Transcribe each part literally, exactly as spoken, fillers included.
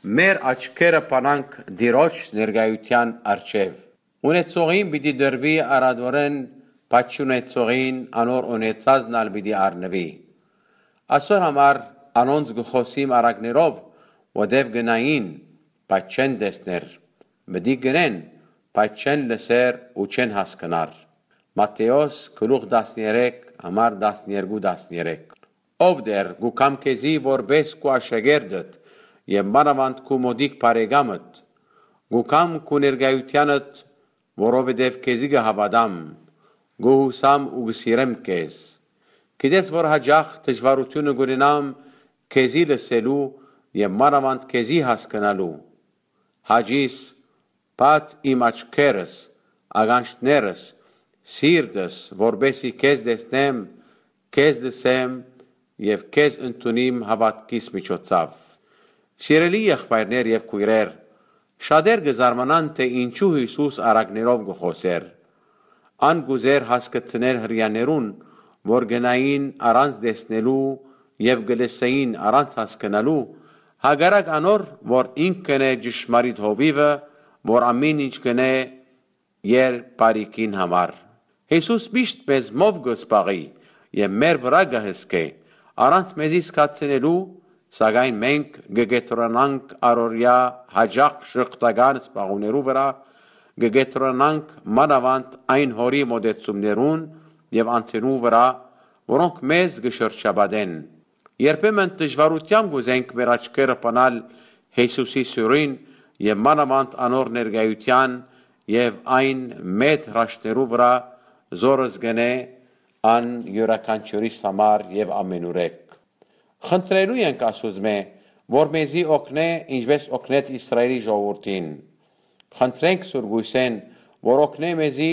Մեր աչքերը բանանք Տիրոջ ներկայութեան առջեւ։ Ունեցողին պիտի տրուի առատորեն, բայց չունեցողին անոր ունեցածն ալ պիտի առնուի։ Ասոր համար անոնց կը խօսիմ առակներով, որտեւ կնային, բայց չեն տեսներ, պիտի կնեն, բայց չեն լսեր ու չեն հասկնար։ Մատթէոս գլուխ տասներեք, համար տասներկու, տասներեք։ Ով Տէր, կու կամ քեզի որպէս քու աշակերտդ եւ մանաւանդ քու մօտիկ բարեկամդ, կու կամ քու ներկայութեանդ, որովհետեւ քեզի կը հաւատամ, կու յուսամ ու կը սիրեմ քեզ։ Գիտես որ յաճախ դժուարութիւնը կ'ունենամ քեզի լսելու եւ մանաւանդ քեզի հասկնալու։ Հաճիս, բաց իմ աչքերս, ականջներս, սիրտս, որպէսզի քեզ տեսնեմ, քեզ լսեմ եւ քեզ ընդունիմ հաւատքիս միջոցով։ Սիրելի եղբայրներ եւ քոյրեր, շատեր կը զարմանան, թէ ինչու Յիսուս առակներով կը խօսէր։ Ան կ'ուզէր հասկցնել Հրեաներուն, որ գնային առանց տեսնելու եւ կը լսեին առանց հասկնալու, հակառակ անոր, որ ինքն է ճշմարիտ հովիւը, որ ամեն ինչ կ'ընէ իր բարիքին համար։ Յիսուս միշտ մեզմով կը զբաղի եւ մեր վրայ կը հսկէ, առանց մեզի զգացնելու, սակայն մենք կը կեդրոնանք առօրեայ յաճախ շղթական զբաղումներու վրայ, կը կեդրոնանք մանաւանդ այն Հօրի մօտեցումներուն եւ անձերուն վրայ, որոնք մեզ կը շրջապատեն։ Երբեմն դժուարութեամբ կ'ուզենք մեր աչքերը բանալ Յիսուսի սիւնին եւ մանաւանդ անոր ներկայութեան եւ այն մեծ հրաշքներու վրայ, զորս կ'ընէ ան իւրաքանչիւրիս համար եւ ամենուրեք։ Խնդրելու ենք Աստուծմէ, որ մեզի օգնէ, ինչպէս օգնեց Իսրայէլի ժողովուրդին։ Խնդրենք Սուրբ Կոյսէն, որ օգնէ մեզի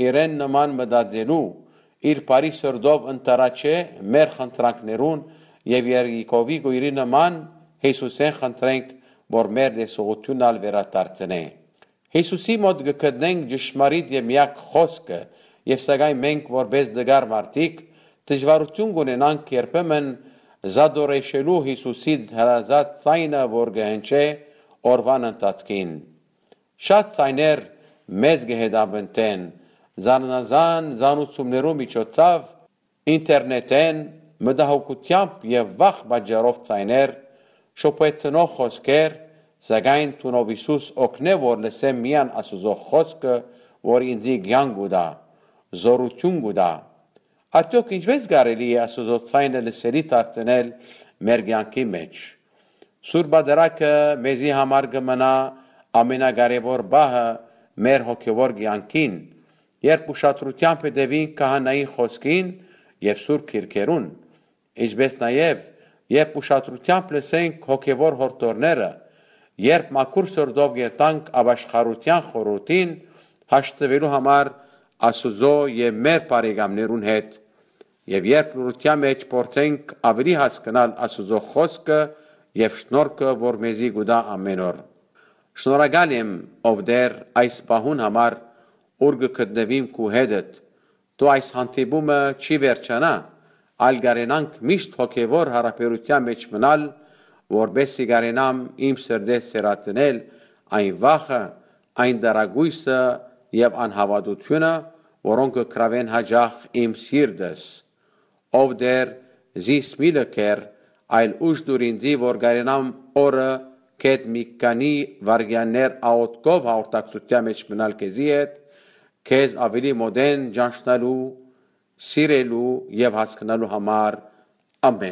իրեն նման մտածելու, իր բարի սրտով ընդառաջէ մեր խնդրանքներուն եւ Երիքովի կոյրի նման Յիսուսէն խնդրենք, որ մեր տեսողութիւնն ալ վերադարձնէ։ Յիսուսի մօտ կը գտնենք ճշմարիտ եւ միակ խօսքը, եւ սակայն մենք որպէս տկար մարդիկ դժուարութիւն կ'ունենանք երբեմն զատորեշելու Յիսուսի հրազատ ձայնը, որ կը հնչէ օրուան ընթացքին։ Շատ ձայներ մեզ կը հետապնդեն, զանազան զանուցումներու միջոցով, ինտերնետէն, մտահոգութեամբ եւ վախ պատճառով ձայներ, շփոյցնող խօսքեր, սակայն թունով Յիսուս օգնէ, որ լսեմ միայն Աստուծոյ խօսքը, որ ինծի կեանք կու տայ, զօրութիւն կու տայ։ Արդեօք ինչպէս կարելի է Աստուծոյ ձայնը լսելի դարձնել մեր կեանքի մէջ։ Սուրբ Ադրակը մեզի համար կը մնայ ամենակարեւոր պահը մեր հոգեւոր կեանքին, երբ ուշադրութեամբ հետեւինք քահանայի խօսքին եւ սուրբ քիրքերուն, ինչպէս նաեւ երբ ուշադրութեամբ լսենք հոգեւոր յորդորները, երբ մաքուր սրտով երթանք ապաշխարութեան խորհուրդին, հաշտվելու համար Աստուծոյ եւ մեր բարեկամներուն հետ, եւ երբ լռութեան մէջ փորձենք աւելի հասկնալ Աստուծոյ խօսքը եւ շնորհքը, որ մեզի կու տայ ամէն օր։ Շնորհակալ եմ, ով Տէր, այս պահուն համար, ուր կը գտնուիմ քու հետդ։ Դու այս հանդիպումը չի վերջանայ, այլ կարենանք միշտ հոգեւոր յարաբերութեան մէջ մնալ, որպէս զի կարենամ իմ սրտէս սերածնել այն վախը, այն դարակոյսը եւ անհաւատութիւնը, որոնք կը գրաւեն յաճախ իմ սիրտս։ Ով Տէր, զիս մի լքեր, այլ ուժ տուր ինծի, որ կարենամ օրը կետ մի քանի վայրկեաններ աղօթքով հաղորդակցութեան մէջ մնալ քեզի հետ, քեզ աւելի մօտէն ճանչնալու, սիրելու եւ հասկնալու համար։ Ամէն։